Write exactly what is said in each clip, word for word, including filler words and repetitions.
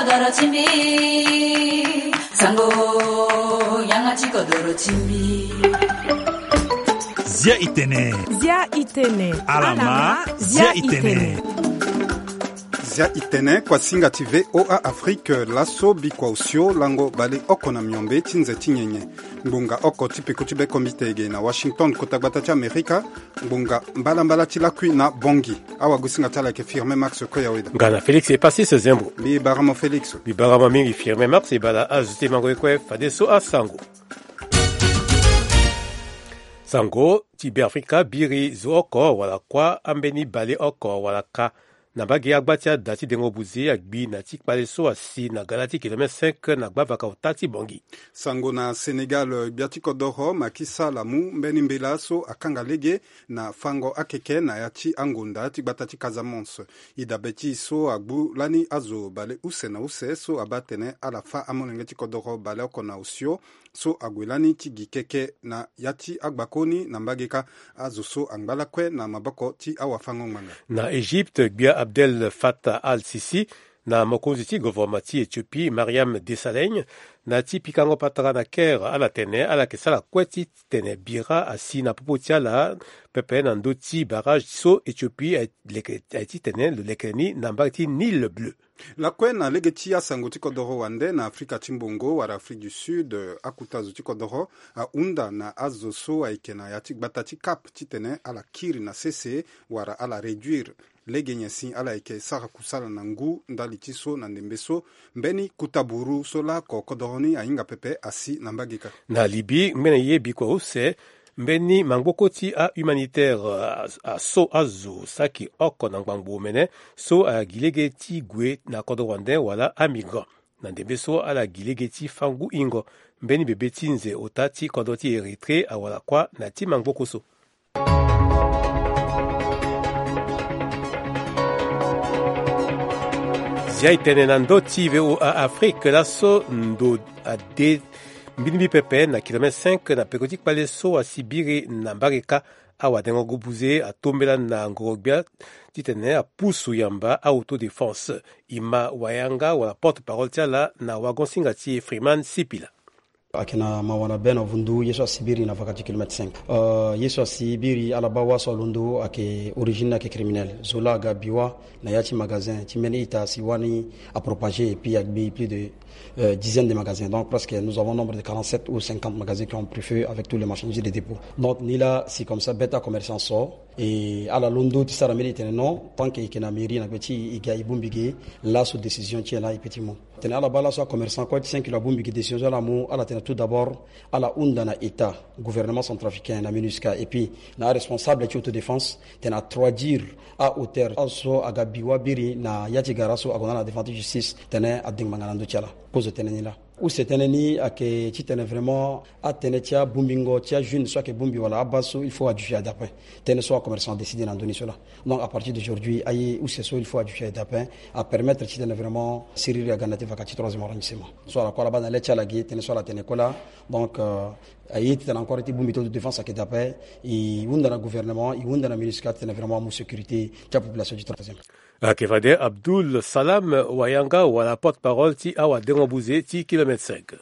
Doro ti mbi, sango, yanga ti kodoro ti mbi. Zia itene. Zia itene. Alama, zia itene. Zia itene, kuasinga ti V O A Afrique, laso bikua osio lango baleoko na miombe ti nze ti nyenye. Ngbonga oko ti peko ti bekombite ege na Washington, kota gbata ti Amerika. Ngbonga mbalambala ti lakui na Bongi. Awagosinga ti ala ayeke Firmin Max Koyaweda. Nga na Félix Epasis Zembo. Mbi barama Félix. Mbi barama mingi Firmin Max, e bala azo ti e mango ye kue fadeso asango. Sango ti Beafrika biri zo oko wala kuâ ambeni baleoko wala ka na mbage agba ti ada ti dengo buze agbi na ti kpale so asi na gala ti kilomètre cinq na gbavaka ota ti Bongi. Sango na Sénégal, gbia ti kodoro Macky Sall amu mbeni mbela so akanga lege na fango akeke na ya ti angonda ti gbata ti Casamance. E dabe ti e so agbu lani azo bale use na use so abaa atene ala fâ amolenge ti kodoro baleoko na osio so ague lani ti gi keke na ya ti agbakoni na mbage kâ. Azo so angba lakue na maboko ti awafango-ngbanga. Na Égypte, gbia Abdel Fattah al-Sisi na mokonzi ti govoroma ti Éthiopie, Mariam Desalegn, na ti pikango patara na Caire, ala tene ala yeke sara kue ti tene bira asi na popo ti ala pepe na ndö ti barrage so Éthiopie aye leke, aye ti tene lo leke ni na mbage ti Nil Bleu. Lakue na lege ti asango ti kodoro wande, na Afrika ti Mbongo wala Afrique du Sud, akuta zo ti kodoro ahunda na azo so ayeke na ya ti gbata ti Cap titene ala kiri na sese wala ala réduire lege nyen si ala yeke sara kusala na ngu ndali ti so na ndembe so mbeni kuta buru so laoko kodoro ni ahinga pepe asi na mbage kâ. Na Libye, ngbene ye bikua use mbeni mangboko ti ahumanitaire, a, a so azo saki oko na ngbangbo omene so agi lege ti gue na kodoro wande wala amigrant. Na ndembe so ala gi lege ti fâ ngu hingo mbeni bebe ti nze ota ti kodro ti Érythrée awara kuâ na ti mangboko so. Zia e tene na ndö ti V O A Afrique, laso ndo ade mbirimbiri pepe na kilomètre cinq na peko ti kpale so asi biri na mbage kâ. Awadengo-buze atombela na ngoro-gbia titene apusu yamba a-autodéfense. Ima Wayanga wala porte-parole ti ala na wagon-singa ti e Freeman Sipila. Ayeke na mawa na be na vundu ye so asi biri na vaka ti kilomètre cinq. Euh, ye so asi biri ala baa wâ so alondo ayeke origine ni ayeke criminel. Zo laa aga bi wâ na ya ti magasin ti mbeni ita si wâ ni apropagé et puis agbi plus de, euh, dizaine de magasins. Donc presque nous avons nombre de quarante-sept ou cinquante magasins qui ont pris feu avec tous les marchandises de dépôt. Donc ni laa si comme ça be ti acommerçant so, e ala londo ti sara mbeni e tene non, tant que e yeke na mairie na gbe ti e, e ga e bongbi ge, laso décision ti e laa e peut ti mu. Tene ala baa laso acommerçant kue ti cinq kilo abongbi gi décision so ala mu, ala tene tout d'abord ala hunda na État, gouvernement centrafricain na MINUSCA et puis na aresponsable ti autodéfense tene atraduire ahauteur azo so aga bi wâ biri na ya ti gara so ague na ala devant ti justice tene adengbanga na ndö ti ala. Kozo tënë ni laa. Use tënë ni ayeke titene vraiment atënë ti abongbingo ti ajeune so ayeke bongbi wala abase so il faut ajuger adapin. Tënë so acommerçant adécide na ndö ni so laa. Donc à partir d'aujourd'hui aye use so il faut ajuger adapin, apermettre titene vraiment siriri aga na ya ti vaka ti troisième arrondissement. So ala kue ala baa na le ti ala ge tënë so ala tene kue laa. Donc euh, aye titene encore ti bongbi ti autodéfense ayeke dapin. E hunda na gouvernement, e hunda na MINUSCA titene vraiment amu sécurité ti apopulation ti troisième. Ayeke fade Abdoul Salam Wayanga wala porte-parole ti awadengo-buze ti kilomètre cinq.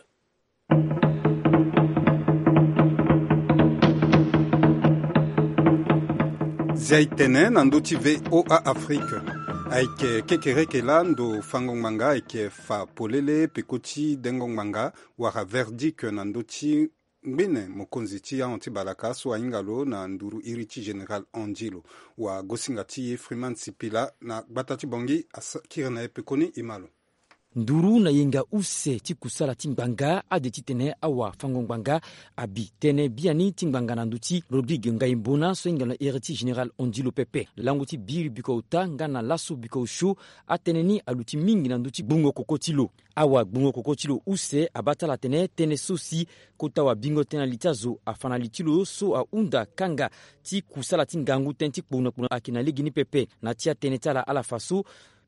Zia e tene na ndö ti V O A Afrique. Ayeke kekereke laa ndo fango ngbanga ayeke fa polele peko ti dengo ngbanga wala verdict na ndö ti ngbene mokonzi ti ahon ti balaka so ahinga lo na nduru iri ti général Angelo. Wagosinga ti e Freeman Sipila na gbata ti Bongi asa kiri na e pekoni e ma lo. Nduru na yenga use ti kusala ti ngbanga ade titene awafango-ngbanga abi tënë biani ti ngbanga na ndö ti Rodrigue Ngaïmbona so ahinga na iri ti général Angelo pepe. Lango ti biri bikua ota nga na laso bikua osio, atënë ni aluti mingi na ndö ti gbungo koko ti lo. Awagbungo koko ti lo use abaa ti ala atene tënë so si kota wabingo tënë na li ti azo afa na li ti lo so ahunda kanga ti kusala ti ngangu tënë ti kpona kpona ayeke na legeni pepe. Na ti atënë ti ala ala fa so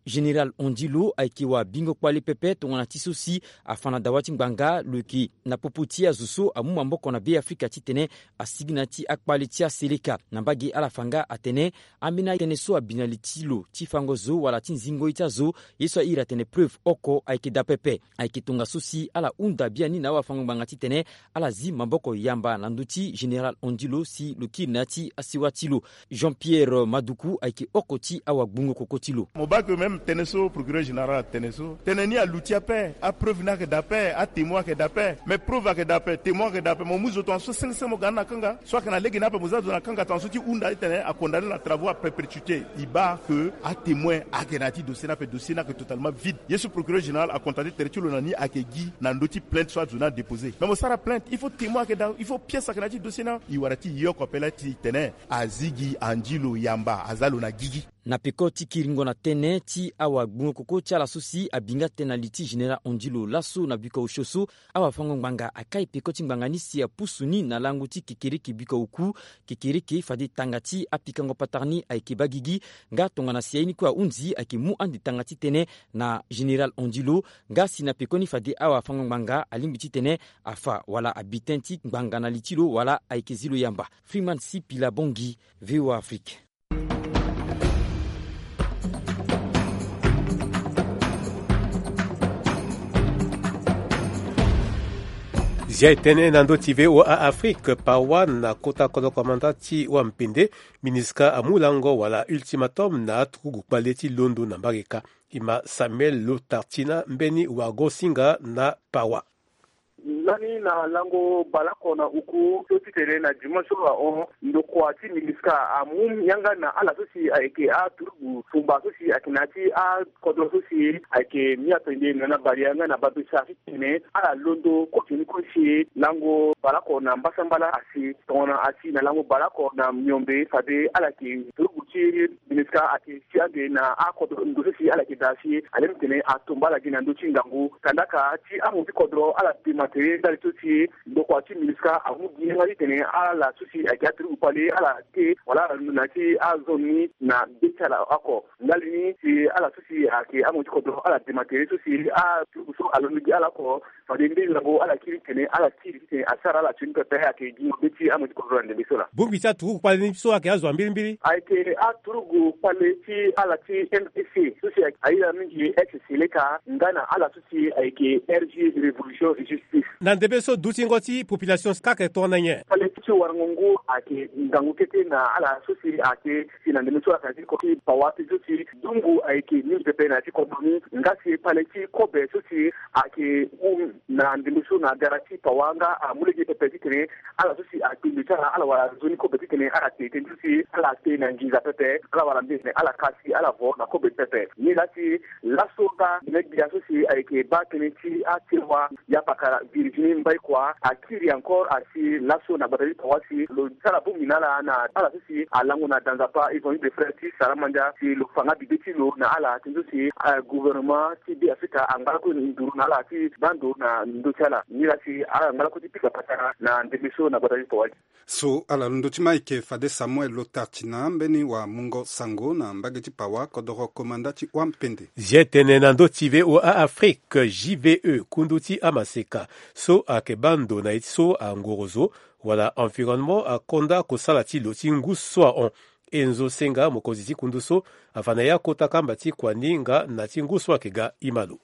Général Ondilo ayeke wabingo kpale pepe tongana ti so si afa na dawa ti ngbanga lo yeke na popo ti azo so amu maboko na Beafrika titene asigi na ya ti akpale ti aseleka. Na mbage ala fa nga atene ambeni atënë so abi na li ti lo ti fango zo wala ti zingo ye ti azo, ye so a iri atene preuve oko ayeke daa pepe. Ayeke tongaso si ala hunda biani na awafango-ngbanga titene ala zi maboko yamba na ndö ti Général Ondilo si lo kiri na ya ti asewa ti lo. Jean-Pierre Maduku ayeke oko ti awagbungo koko ti lo. Mo baa ke même tënë so procureur général atene so, tënë ni aluti ape, apreuve ni ayeke daa ape, atémoin ayeke daa ape. Mais preuve ayeke daa ape, témoin ayeke daa ape, mo mu zo tongaso senge senge mo ga ni na kanga. So ayeke na lege ni ape mo za zo na kanga tongaso ti hunda titene akondamne na travaux à perpétuité. E baa ke atémoin ayeke na ya ti dossier ni ape, dossier ni ayeke totalement vide. Ye so procureur général akontate tere ti lo na ni ayeke gi na ndö ti plainte so azo ni adéposé. Mais mo sara plainte, il faut témoin ayeke daa, il faut pièce ayeke na ya ti dossier ni. E wara ti e yoko ape laa titene azi gi Ondilo yamba, aza lo na gigi. Na peko ti kiringo na tënë ti awagbungo koko ti ala so si abi nga tënë na li ti Général Ondilo laso na biko osio so, awafango-ngbanga akai peko ti ngbanga ni si apusu ni na lango ti kekereke biko oku, kekereke fade tanga ti apikango patara ni ayeke baa gigi. Nga tongana si aye ni kue ahunzi ayeke mu ande tanga ti tënë na Général Ondilo. Nga si na pekoni fade awafango-ngbanga alingbi titene afa wala abi tënë ti ngbanga na li ti lo wala ayeke zi lo yamba. Freeman Sipila Bongi, V O A Afrique. Zia e tënë na ndö ti V O A Afrique, Pawa na kota kodro komanda ti wampende, MINUSCA amu lango wala ultimatum na aturugu kpale ti londo na mbage ka. E ma Samuel Lotartina mbeni wagosinga na Pawa. Lani na lango baleoko na uku so titene na dimanche so ahon, ndokua ti MINUSCA amu yanga na ala so si ayeke aturugu tumba so si ayeke na ya ti akodro so si ayeke Mia Pende na na Baria nga na Babesa titene ala londo kue ti ni kue si lango baleoko na mbasambala asi tongana asi na lango baleoko na miombe fade ala yeke turugu ti MINUSCA ayeke si ande na akodro ndo so si ala yeke daa si alingbi tene atumba ala gi na ndö ti ngangu. Kandaka ti amu ti kodro ala dema tere ndali so si ndokua ti MINUSCA amu gi yanga titene ala so si ayeke aturugu kpale ala te wala ala londo na ya ti azone ni na be ti ala oko. Ndali ni si ala so si ayeke amu ti kodro ala dema tere so si aturugu so alondo gi ala oko. Fade mbeni lango ala kiri titene ala kiri titene asara ala sioni pepe ayeke gi na be ti amu ti kodro na ndembe so laa. Bongbi ti aturugu kpale ni so ayeke azo ya mbirimbiri? Ayeke aturugu kpale ti ala ti M P C so si ayeke aira mingi ex Seleka nga na ala so si ayeke R G Révolution et Justice. Na ndembe so dutingo ti population kâ ayeke tongana nyen? Kpale ti warango ngu ayeke ngangu kete na ala so si ayeke si na ndembe so ayeke na ti ko ti Pawa ti so si dungu ayeke mingi pepe na ya ti kodro ni. Nga si kpale ti kobe so si ayeke hum na ndembe so na gara ti Pawa nga amu lege pepe titene ala so si akpingo ti ala ala wara nzoni kobe titene ala te tënë so si ala te na nginza pepe ala wara mbeni tene ala ka si ala vo na kobe pepe. Ni laa si laso nga gbene gbia so si ayeke baa tënë ti atiwa ya pakara Virginie Mbaikua akiri encore asi laso na gbata ti Pawa si lo sara bongbi na ala na ala so si alango na da nzapa Évangile des Frères ti Saramandia si lo fa nga bibe ti lo na ala tënë so si gouvernement ti Beafrika angba lakue nduru na ala ti baa ndo na ndö ti ala. Ni laa si ala ngba lakue ti pika patara na ndembe so na gbata ti Pawa. So ala londo ti ma ayeke fade Samuel Lotartina mbeni wamungo sango na mbage ti Pawa kodoro komanda ti Wampende. Zia e tene na ndö ti V O A Afrique, J V E, kundu ti amaseka so ayeke baa ndo na ye ti so angoro zo wala environnement akonda kosala ti lo ti ngu so ahon. Enzo Senga, mokonzi ti kundu so, afa na ya kota kamba ti kuâ ni nga na ti ngu so ayeke ga e ma lo.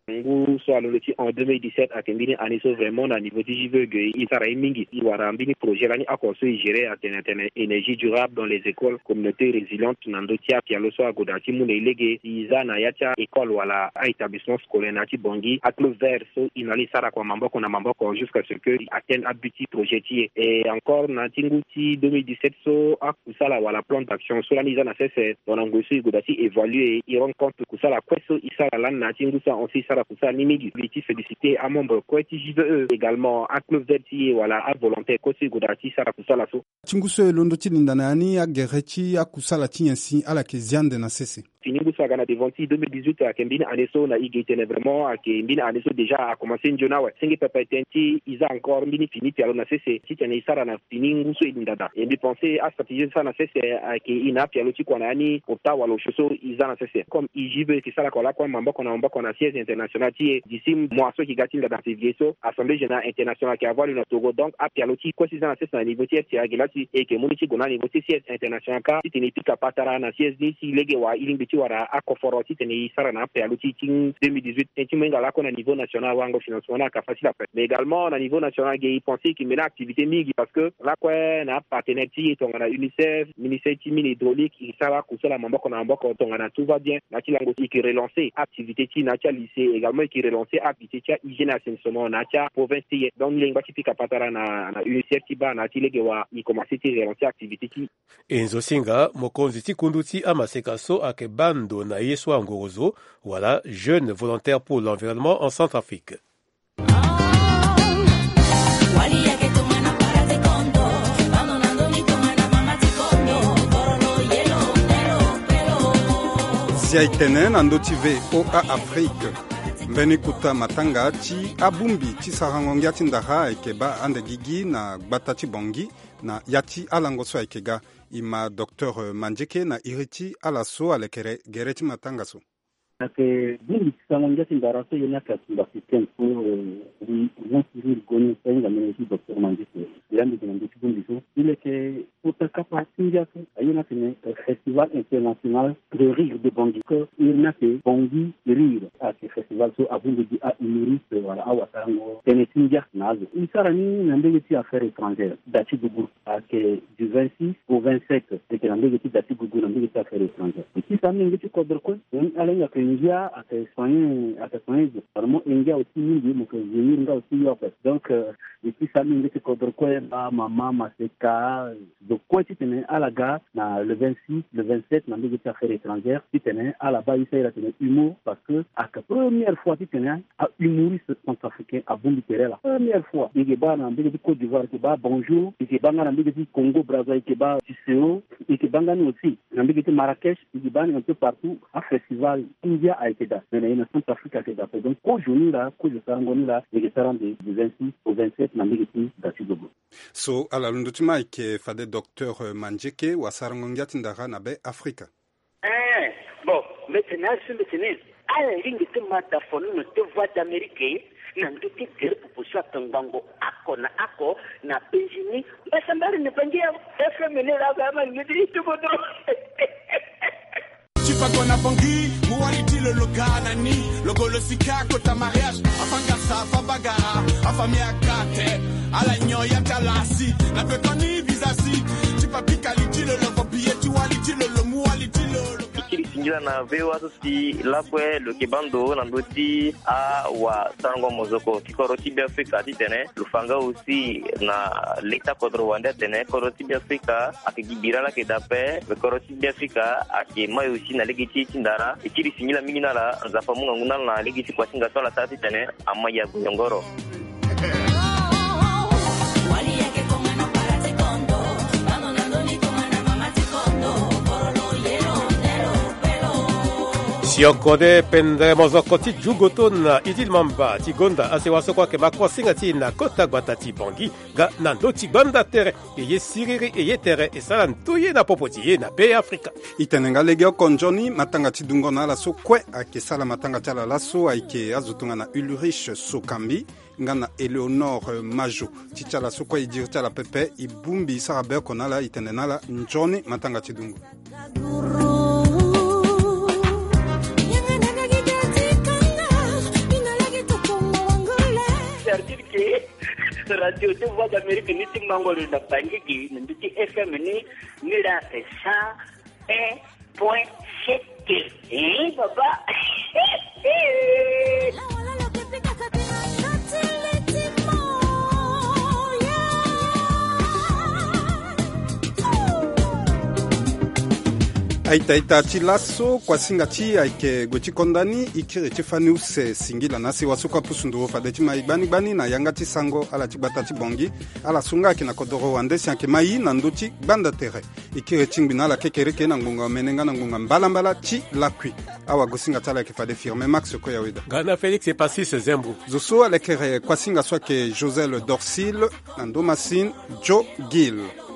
Ngu so alondo ti en deux mille dix-sept ayeke mbeni année so vraiment na niveau ti J V E ge e sara ye mingi. E wara mbeni projet lani oko so e gérer atene atene énergie durable dans les écoles, communauté résiliente na ndö ti apialo so agoda ti mu na e lege. E za na ya ti a-école wala a-établissement scolaire na ya ti Bangui, a-club vert so e na ala e sara kua maboko na maboko jusqu'à ce que e atteindre abut ti projet ti e. Et encore na ya ti ngu ti deux mille dix-sept so a kusala wala plan d'action so lani e za na sese, tongana ngoi so e goda ti évaluer, e rendre compte kusala kue so e sara lani na ya ti ngu so ahon so e sara kusala ni mingi. Mbi ti féliciter amembre kue ti J V E, également aclosel ti e wala avolontaire kue so e goda ti sara kusala so. Ti ngu so e londo ti linda na ya ni agere ti akusala ti nyen si ala yeke zi ande na sese? fini ngu so aga na devant ti deux mille dix-huit ayeke mbeni année so na e ge e tene vraiment ayeke mbeni année so déjà akomanse nzoni awe. Senge pepe tënë ti e za encore mbeni fini pialo na sese titene e sara na fini ngu so e linda daa. E mbi pense astratégie so e sara na sese ayeke e na apialo ti kua na ya ni ota wala osio so e za na sese. Comme e gi be e yeke sara kua lakue maboko na maboko na siège international ti e d'ici mois so e yeke ga ti nda daa février so, assemblée générale internationale ayeke avoir lo na Togo. Donc apialo ti kue so e za na sese na niveau ti F C A ayeke laa si e yeke mu ni ti gue na niveau ti siège international kâ titene e pika patara na siège ni si lege wa e lingbi ti wara akoforo titene e sara na apialo ti e ti deux mille dix-huit. Tënë ti mo hinga lakue na niveau national awarango financement ni ayeke facile ape. Mais également na niveau national ge e pense e yeke mene activité mingi parce que lakue na apartenaire ti e tongana UNICEF, ministère ti mine hydraulique, e sara akusala maboko na maboko tongana tout va bien. Na ya ti lango e yeke relancer activité ti e na ya ti alycée, également e yeke relancer activité ti ahygiène assainissement na ya ti aprovince ti e. Donc ni lingba ti pika patara na, na UNICEF ti baa na ya ti lege wa e komanse ti relancer activité ti e. E nzo singa mokonzi ti kundu ti amaseka so ayeke baa ndo na ye so angorozo wala jeune volontaire pour l'environnement en Centrafrique. Zia e tene na ndö ti V O A Afrique. Mbeni kota matanga ti abongbi ti sarango ngia ti ndara ayeke baa ande gigi na gbata ti Bangui na ya ti alango so ayeke ga. E ma docteur Mandieke na iri ti ala so alekere gere ti matanga so. Ayeke bongbi ti sarango ngia ti ndara so ye ni ayeke atumba système so, eh, wi wan ti ri goni so ahinga mene ti docteur Mandieke. Iri ande gi na ndö ti bongbi so e leke kota kapa ti ngia so aye ni atene, eh, festival international de rire de Bangui. Ke iri ni ayeke Bangui rire. Ayeke festival so abongbi gi ahumoriste wala awasarango tënë ti ngia na azo. E sara ni na mbege ti affaires étrangères da ti gugu. Ayeke du vingt-six au vingt-sept, e yeke na mbege ti da ti gugu na mbege ti affaires étrangères. E ti sara ni na ngia ti kodro kue. Donc ala hinga ayeke ngia ayeke soigner, ayeke soigner zo. Vraiment e ngia aussi mingi, mo yeke vieillir nga aussi yo ape. Donc, euh, e ti sara ni na ngia ti kodro kue, baa mama maseka zo kue titene ala ga na le vingt-six, le vingt-sept na mbege ti affaires étrangères titene ala baa e sara iri atene humour, parce que ayeke première fois titene ahumoriste centrafricain abongbi tere ala. Première fois. E yeke baa na mbege ti Côte d'Ivoire, e yeke baa Bonjour, e yeke baa nga na mbege ti Congo Brazza, e yeke baa Tisséo, e yeke baa nga ni aussi na mbege ti Marrakech, e yeke baa ni un peu partout. Afestival ti ngia ayeke daa, me na e na Centrafrique ayeke daa ape. Donc kozo ni laa, kozo sarango ni laa, e yeke sara ande du vingt-six au vingt-sept na mbege ti da ti zogo. So ala londo ti ma ayeke fade docteur Mandieke, wasarango ngia ti ndara na Be Afrika. Eh, bon, mbi tene azo, mbi tene ala lingbi ti ma da fo ni na te Voix d'Amérique na ndö ti gere popo so atongbango oko na oko na Benjini. Mbasambara ni Bangui ya F M ni laa, ama ni ti ti kodro. Ti fa kona Bangui, mu wali ti lo lo ga na ni, lo go lo sika kota mariage, afa ngasa, afa bagara, afa miakate, ala nyon ya ti ala si, na pekoni visa si, ti fa pika li ti lo lo, vo biye ti wali ti lo lo, mu wali ti lo lo ga. Ti singila na V O A so si lakue lo yeke baa ndo na ndö ti awasarango mozoko ti kodro ti Be Afrika titene lo fa nga aussi na le ti akodro wande atene kodro ti Be Afrika ayeke gi bira laa ayeke daa ape, me kodro ti Be Afrika ayeke mai aussi na lege ti e ti ndara. E kiri singila mingi na ala, Nzapa amu ngangu na ala na lege ti kuasinga so ala sara titene amai ague nyongoro. Si oko de pendere mozoko ti Djugoto na Idil Mamba ti gonda asewa so kue ayeke ma kuasinga ti e na kota gbata ti Bangui. Nga na ndö ti gbanda tere, e ye siriri, e ye tere, e sara ndoye na popo ti e na Be Afrika. E tene nga legeoko nzoni, matanga ti dungo na ala so kue ayeke sara matanga ti ala laso ayeke azo tongana Ulrich Sokambi nga na Éléonore Majo. Ti ti ala so kue e diri ti ala pepe, e bongbi e sara be oko na ala, e tene na ala nzoni matanga ti dungo. C'est-à-dire que radio ti Voix d'Amérique ni ti mango lo na Bangui gi na ndö ti F M ni, ni laa c'est cent un point sept. Eh, papa. Aita-ita ti laso, kuasinga ti ayeke gue ti konda ni. E kiri ti fani use singila na asi waso kue apusu nduru fade ti ma e gbani gbani na yanga ti sango ala ti gbata ti Bangui. Ala so nga ayeke na kodoro wande si ayeke ma e na ndö ti gbanda tere. E kiri ti ngbi na ala kekereke na ngbonga omene nga na ngbonga mbalambala ti lakui. Awagosinga ti ala ayeke fade Firmin Max Koyaweda. Gana Félix Epasis Zembro. Zo so alekere kuasinga so ayeke Josel Dorcil, na ndo Massine Joe Gill.